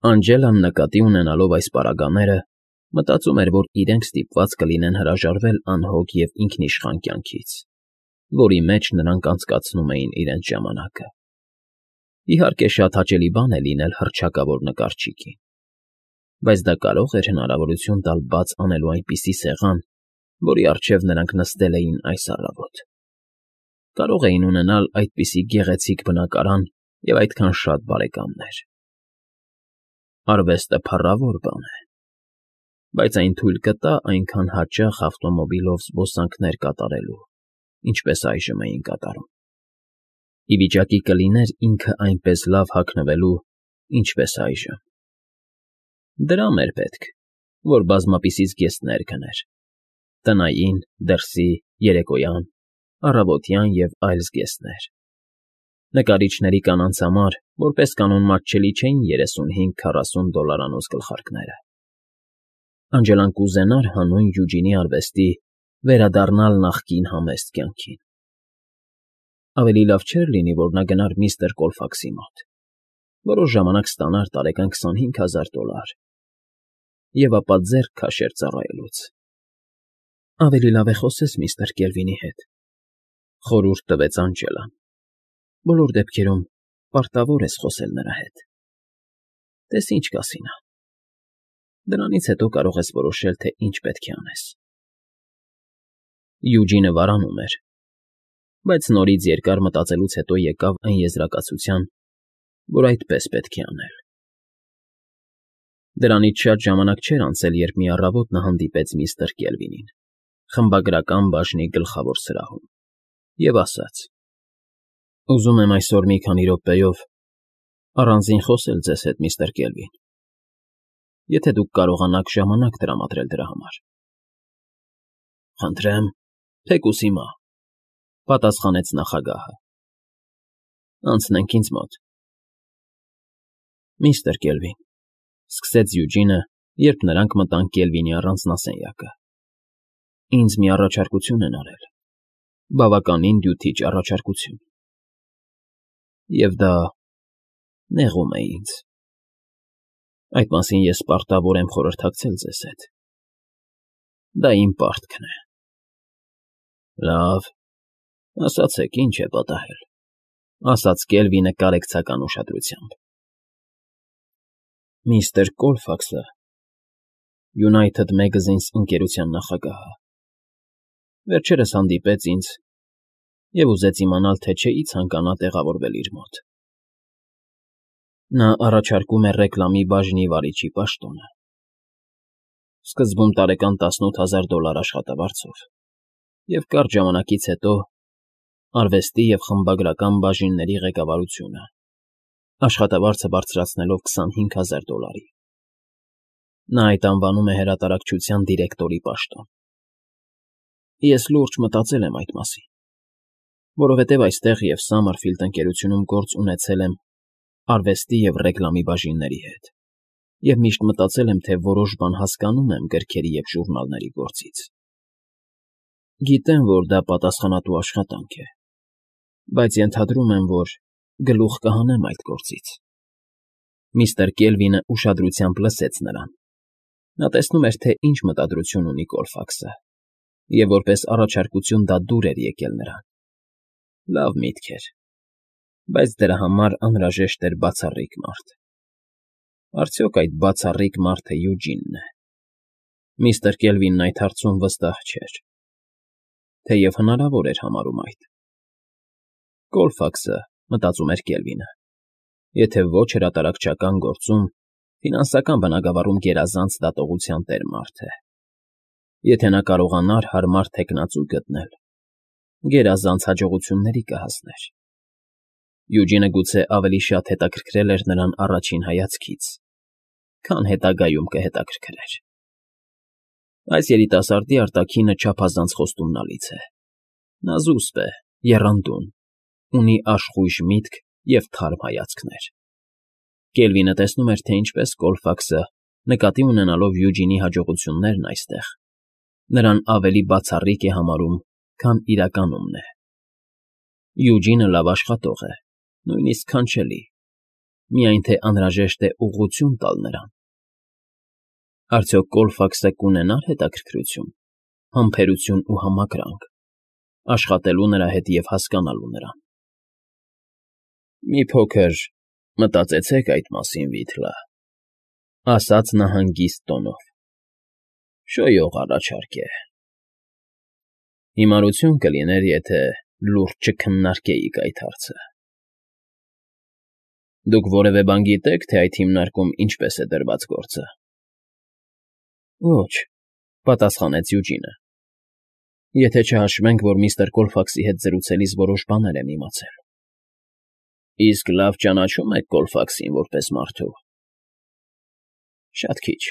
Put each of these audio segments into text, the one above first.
Անջելան նկատի ունենալով այս պարագաները, մտածում էր, որ իրենք ստիպված կլինեն հրաժարվել անհոգ և ինքնիշխան կյանքից, որի մեջ նրանք անցկացնում էին իրենց ժամանակը։ Իհարկե, շատ հաճելի բան է լինել հռչակավոր նկարչիկի, բայց դա կարող էր հնարավորություն տալ բաց անելու այնպիսի սեղան, որի առջև նրանք նստել էին այս առավոտ։ Կարող էին ունենալ այդպիսի գեղեցիկ բնակարան և այդքան շատ բարեկամներ։ Արվեստը փառավոր բան է, բայց այն թույլ կտա այնքան հաճախ ավտոմոբիլով զբոսանքներ կատարելու, ինչպես այժմ էին կատարում։ Ի վիճակի կլիներ ինքը այնպես լավ հագնվելու, ինչպես այժմ։ Դրամ էր պետք, որ բազմապիսի զգեստներ գներ. տնային, դրսի, երեկոյան, առավոտյան և այլ զգեստներ։ Նկարիչների կանանց համար, որպես կանոն, մատչելի չէին $35-40 գլխարկները։ Անջելան կուզենար հանուն Յուջինի արվեստի վերադառնալ նախկին համեստ կյանքին։ Ավելի լավ չէր լինի, որ նա գնար միստր Կոլֆաքսի մոտ, որոշ ժամանակ ստանար տարեկան $25,000 և ապա ձեռք քաշեր ծառայելուց։ Ավելի լավ է խոսես միստր Կելվինի հետ, խորհուրդ տվեց Անջելան։ Բոլոր դեպքերում պարտավոր ես խոսել նրա հետ։ Տես ինչ կասի նա։ Դրանից հետո կարող ես որոշել, թե ինչ պետք է անես։ Յուջինը վարանում էր, բայց նորից երկար մտածելուց հետո եկավ այն եզրակացության, որ այդպես պետք է անել։ Դրանից շատ ժամանակ չէր անցել, երբ մի առավոտ նա հանդիպեց միստր Կելվինին խմբագրական բաժնի գլխավոր սրահում և ասաց. «Ուզում եմ այսօր մի քանի րոպեով առանձին խոսել ձեզ հետ, միստր Կելվին, եթե դուք կարողանաք ժամանակ տրամադրել դրա համար»։ «Խնդրեմ, թեկուզ հիմա», ֊ պատասխանեց նախագահը։ «Անցնենք ինձ մոտ»։ «Միստր Կելվին», ֊ սկսեց Յուջինը, երբ նրանք մտան Կելվինի առանձնասենյակը, ինձ մի առաջարկություն են արել, բավականին դյութիչ առաջարկություն, և դա նեղում է ինձ։ Այդ մասին ես պարտավոր եմ խորհրդակցել ձեզ հետ։ Դա իմ պարտքն է։ Լավ, ասացեք, ինչ է պատահել, ֊ ասաց Կելվինը կարեկցական ուշադրությամբ։ Միստր Կոլֆաքսը United Magazines ընկերության նախագահը վերջերս հանդիպեց ինձ և ուզեց իմանալ, թե չէի ցանկանա տեղավորվել իր մոտ։ Նա առաջարկում է ռեկլամի բաժնի վարիչի պաշտոնը, սկզբում տարեկան $18,000 աշխատավարձով և կարճ ժամանակից հետո արվեստի և խմբագրական բաժինների ղեկավարությունը, աշխատավարձը բարձրացնելով $25,000։ Նա այդ անվանում է հրատարակչության դիրեկտորի պաշտոն։ Ես լուրջ մտածել եմ այդ մասին, որովհետև այստեղ և Սամմերֆիլդ ընկերությունում գործ ունեցել եմ արվեստի և ռեկլամի բաժինների հետ և միշտ մտածել եմ, թե որոշ բան հասկանում եմ գրքերի և ժուրնալների գործից։ Գիտեմ, որ դա պատասխանատու աշխատանք է, բայց ենթադրում եմ, որ գլուխ կհանեմ այդ գործից։ Միստր Կելվինը ուշադրությամբ լսեց նրան։ Նա տեսնում էր, թե ինչ մտադրություն ունի Կոլֆաքսը, և որպես առաջարկություն դա դուր էր եկել նրան։ Լավ միտք էր, բայց դրա համար անհրաժեշտ էր բացառիկ մարդ։ Արդյոք այդ բացառիկ մարդը Յուջինն է։ Միստր Կելվինն այդ հարցում վստահ չէր, թեև հնարավոր էր համարում այդ։ Կոլֆաքսը, մտածում էր Կելվինը, եթե ոչ հրատարակչական գործում, ֆինանսական բնագավառում գերազանց դատողության տեր մարդ է։ Եթե նա կարողանար հարմար թեկնածու գտնել, գերազանց հաջողությունների կհասներ։ Յուջինը գուցե ավելի շատ հետաքրքրել էր նրան առաջին հայացքից, քան հետագայում կհետաքրքրեր։ Այս երիտասարդի արտաքինը չափազանց խոստումնալից է։ Նա զուսպ է, եռանդուն, ունի աշխույժ միտք և թարմ հայացքներ։ Կելվինը տեսնում էր, թե ինչպես Կոլֆաքսը, նկատի ունենալով Յուջինի հաջողություններն այստեղ, նրան ավելի բացառիկ է համարում, քան իրականումն է։ Յուջինը լավ աշխատող է, նույնիսկ քանչելի, միայն թե անհրաժեշտ է ուղղություն տալ նրան։ Արդյոք Կոլֆաքսը կունենա՞ր հետաքրքրություն, համբերություն ու համակրանք, աշխատելու նրա հետ և հասկանալու նրան։ «Մի փոքր մտածեցեք այդ մասին, Վիթլը,֊ ասաց նա հանգիստ տոնով։֊ Շոյող առաջարկ է։ Հիմարություն կլիներ, եթե լուրջ չքննարկեիք այդ հարցը։ Դուք որևէ բան գիտե՞ք, թե այդ հիմնարկում ինչպես է դրված գործը։ Ոչ,֊ պատասխանեց Յուջինը։ Եթե չհաշվենք, որ միստր Կոլֆաքսի հետ զրուցելիս որոշ բաներ եմ իմացել։ Իսկ լավ ճանաչո՞ւմ եք Կոլֆաքսին որպես մարդու։ Շատ քիչ,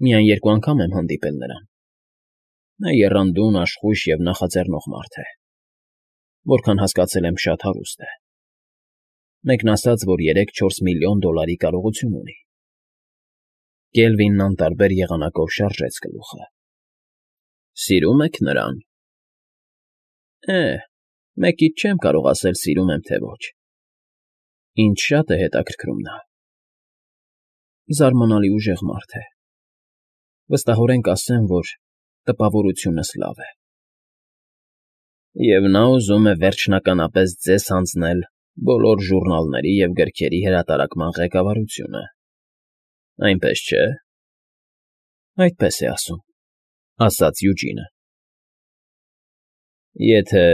միայն 2 անգամ եմ հանդիպել նրան։ Նա եռանդուն, աշխույժ և նախաձեռնող մարդ է։ Որքան հասկացել եմ, շատ հարուստ է։ Մեկն ասաց, որ 3-4 միլիոն $-ի կարողություն ունի։ Կելվինն անտարբեր եղանակով շարժեց գլուխը։ Սիրո՞ւմ եք նրան։ Մեկից չեմ կարող ասել սիրում եմ, թե ոչ։ Ինձ շատ է հետաքրքրում նա։ Զարմանալի ուժեղ մարդ է։ Վստահորեն կասեմ, որ տպավորությունս լավ է։ Եվ նա ուզում է վերջնականապես ձեզ հանձնել բոլոր ժուռնալների և գրքերի հրատարակման ղեկավարությունը, այնպես չէ։ Այդպես է ասում,֊ ասաց Յուջինը։ Եթե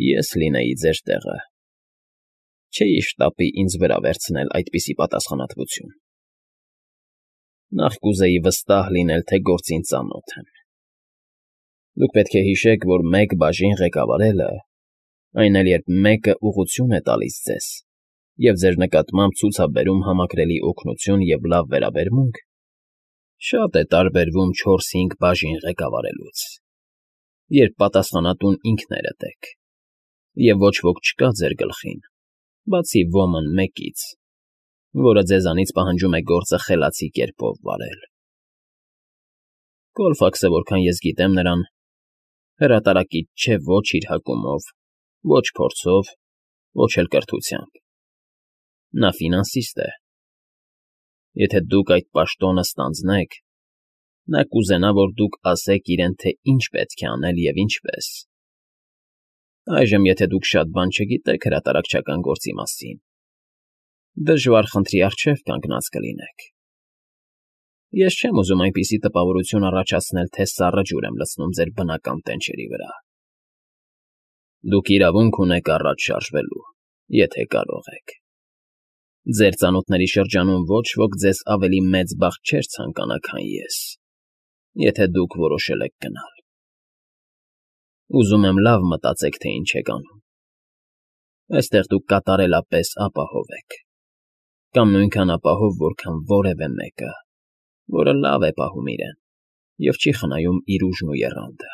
ես լինեի ձեր տեղը, չէի շտապի ինձ վրա վերցնել այդպիսի պատասխանատվություն։ Նախ կուզեի վստահ լինել, թե գործին ծանոթ եմ։ Դուք պետք է հիշեք, որ մեկ բաժին ղեկավարելը, այն էլ երբ մեկը ուղղություն է տալիս ձեզ և ձեր նկատմամբ ցուցաբերում համակրելի օգնություն և լավ վերաբերմունք, շատ է տարբերվում 4-5 բաժին ղեկավարելուց, երբ պատասխանատուն ինքներդ եք, և ոչ ոք չկա ձեր գլխին, բացի ոմն մեկից, որը ձեզանից պահանջում է գործը խելացի կերպով վարել։ Կոլֆաքսը, որքան ես գիտեմ նրան, հրատարակիչ չէ ոչ իր հակումով, ոչ փորձով, ոչ էլ կրթությամբ։ Նա ֆինանսիստ է։ Եթե դուք այդ պաշտոնը ստանձնեք, նա կուզենա, որ դուք ասեք իրեն, թե ինչ պետք է անել և ինչպես։ Այժմ, եթե դուք շատ բան չգիտեք հրատարակչական գործի մասին, դժվար խնդրի առջև կանգնած կլինեք։ Ես չեմ ուզում այնպիսի տպավորություն առաջացնել, թե սառը ջուր եմ լցնում ձեր բնական տենչերի վրա։ Դուք իրավունք ունեք առաջ շարժվելու, եթե կարող եք։ Ձեր ծանոթների շրջանում ոչ ոք ձեզ ավելի մեծ բախտ չէր ցանկանա, քան ես, եթե դուք որոշել եք գնալ։ Ուզում եմ լավ մտածեք, թե ինչ եք անում։ Այստեղ դուք կատարելապես ապահով եք, կամ նույնքան ապահով, որքան որևէ մեկը, որը լավ է պահում իրեն և չի խնայում իր ուժն ու եռանդը։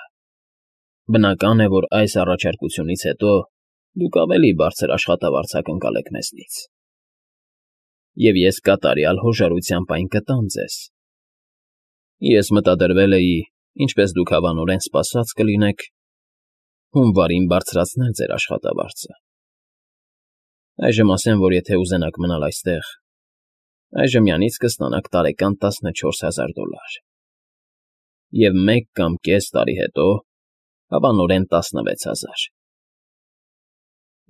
Բնական է, որ այս առաջարկությունից հետո դուք ավելի բարձր աշխատավարձ կընկալեք մեզնից։ Եվ ես կատարյալ հոժարությամբ այն կտամ ձեզ։ Ես մտադրվել էի, ինչպես դուք հավանորեն սպասած կլինեք, հունվարին բարձրացնել ձեր աշխատավարձը։ Այժմ ասեմ, որ եթե ուզենաք մնալ այստեղ, այժմյանից կստանաք տարեկան $14,000 և 1.5 տարի հետո հավանորեն 16,000։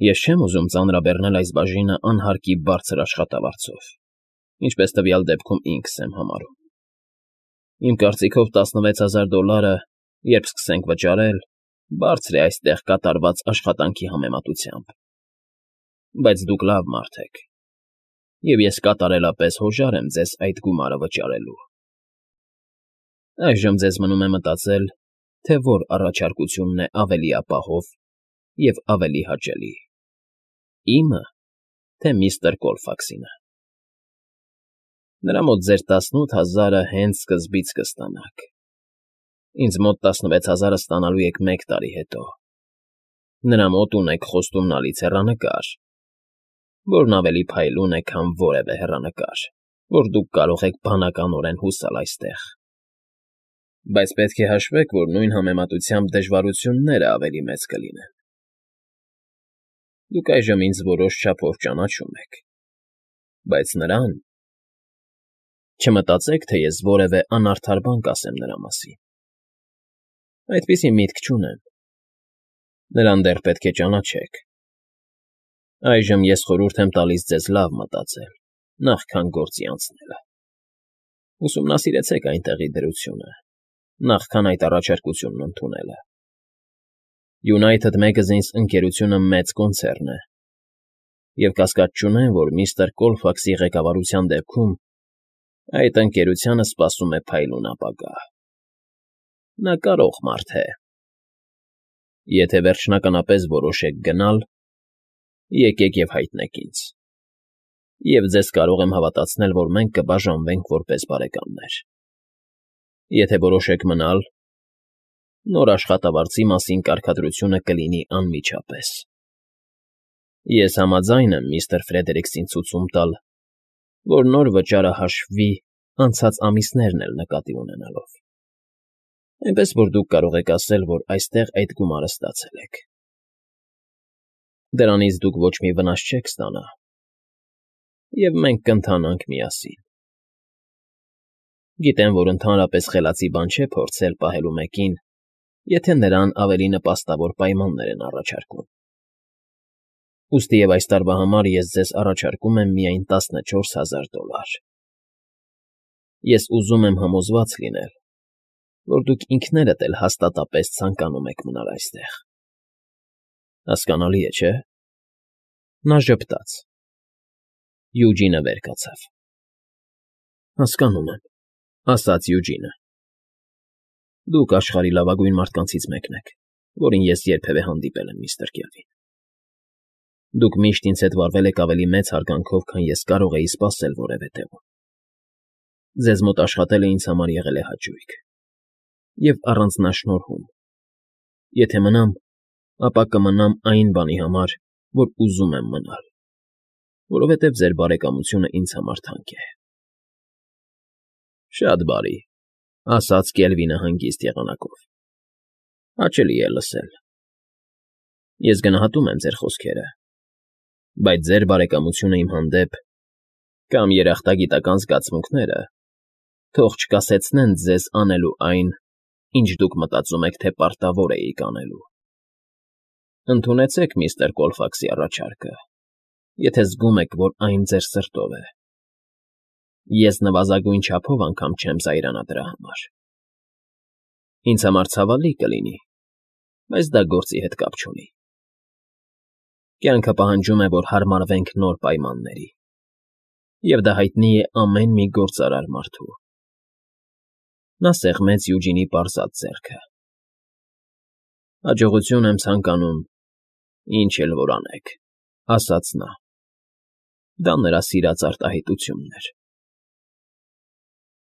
Ես չեմ ուզում ծանրաբեռնել այս բաժինը անհարկի բարձր աշխատավարձով, ինչպես տվյալ դեպքում ինքս եմ համարում։ Իմ կարծիքով $16,000, երբ սկսենք վճարել, բարձր է այստեղ կատարված աշխատանքի համեմատությամբ։ Բայց դուք լավ մարդ եք, և ես կատարելապես հոժար եմ ձեզ այդ գումարը վճարելու։ Այժմ ձեզ մնում է մտածել, թե որ առաջարկությունն է ավելի ապահով և ավելի հաճելի՝ իմը, թե միստր Կոլֆաքսինը։ Նրա մոտ ձեր 18,000-ը հենց սկզբից կստանաք։ Ինձ մոտ 16,000-ը ստանալու եք 1 տարի հետո։ Նրա մոտ ունեք խոստումնալից հեռանկար, որն ավելի փայլուն է, քան որևէ հեռանկար, որ դուք կարող եք բանականորեն հուսալ այստեղ։ Բայց պետք է հաշվեք, որ նույն համեմատությամբ դժվարությունները ավելի մեծ կլինեն։ Դուք այժմ ինձ որոշ չափով ճանաչում եք։ Բայց նրան… Չմտածեք, թե ես որևէ անարդար բան կասեմ նրա մասին… Այդպիսի միտք չունեմ… Նրան դեռ պետք է ճանաչեք… Այժմ ես խորհուրդ եմ տալիս ձեզ լավ մտածել, նախքան գործի անցնելը… Ուսումնասիրեցեք այնտեղի դրությունը, նախքան այդ առաջարկությունն ընդունելը… United Magazines ընկերությունը մեծ կոնցեռն է, և կասկած չունեմ, որ միստր Կոլֆաքսի ղեկավարության դեպքում այդ ընկերությանը սպասում է փայլուն ապագա… Նա կարող մարդ է… Եթե վերջնականապես որոշեք գնալ, եկեք և հայտնեք ինձ, և ձեզ կարող եմ հավատացնել, որ մենք կբաժանվենք որպես բարեկամներ… Եթե որոշեք մնալ, նոր աշխատավարձի մասին կարգադրությունը կլինի անմիջապես… Ես համաձայն եմ միստր Ֆրեդերիքսին ցուցում տալ, որ նոր վճարը հաշվվի անցած ամիսներն էլ նկատի ունենալով… Այնպես որ դուք կարող եք ասել, որ այստեղ այդ գումարը ստացել եք… Դրանից դուք ոչ մի վնաս չեք ստանա, և մենք կընթանանք միասին… Գիտեմ, որ ընդհանրապես խելացի բան չէ փորձել պահելու մեկին, եթե նրան ավելի նպաստավոր պայմաններ են առաջարկում… Ուստի և այս տարվա համար ես ձեզ առաջարկում եմ միայն $14,000… Ես ուզում եմ համոզված լինել, որ դուք ինքներդ էլ հաստատապես ցանկանում եք մնալ այստեղ… Հասկանալի է, չէ՞… Նա ժպտաց… Յուջինը վեր կացավ… Հասկանում եմ, ասաց Յուջինը… Դուք աշխարհի լավագույն մարդկանցից մեկն եք, որին ես երբևէ հանդիպել եմ, միստր Կելվին… Դուք միշտ ինձ հետ վարվել եք ավելի մեծ հարգանքով, քան ես կարող էի սպասել որևէ տեղում… Ձեզ մոտ աշխատելը ինձ համար եղել է հաճույք և առանձնաշնորհում… Եթե մնամ, ապա կմնամ այն բանի համար, որ ուզում եմ մնալ, որովհետև ձեր բարեկամությունը ինձ համար թանկ է… Շատ բարի, ֊ ասաց Կելվինը հանգիստ եղանակով… Հաճելի է լսել… Ես գնահատում եմ ձեր խոսքերը, բայց ձեր բարեկամությունը իմ հանդեպ, կամ երախտագիտական զգացմունքները թող չկասեցնեն ձեզ անելու այն, ինչ դուք մտածում եք, թե պարտավոր էիք անելու… Ընդունեցեք միստր Կոլֆաքսի առաջարկը, եթե զգում եք, որ այն ձեր սրտով է… Ես նվազագույն չափով անգամ չեմ զայրանա դրա համար… Ինձ համար ցավալի կլինի, բայց դա գործի հետ կապ չունի… Կյանքը պահանջում է, որ հարմարվենք նոր պայմանների, և դա հայտնի է ամեն մի գործարար մարդու… Նա սեղմեց Յուջինի պարզած ձեռքը… Հաջողություն եմ ցանկանում, ինչ էլ որ անեք, ֊ ասաց նա… Դա նրա սիրած արտահայտությունն էր…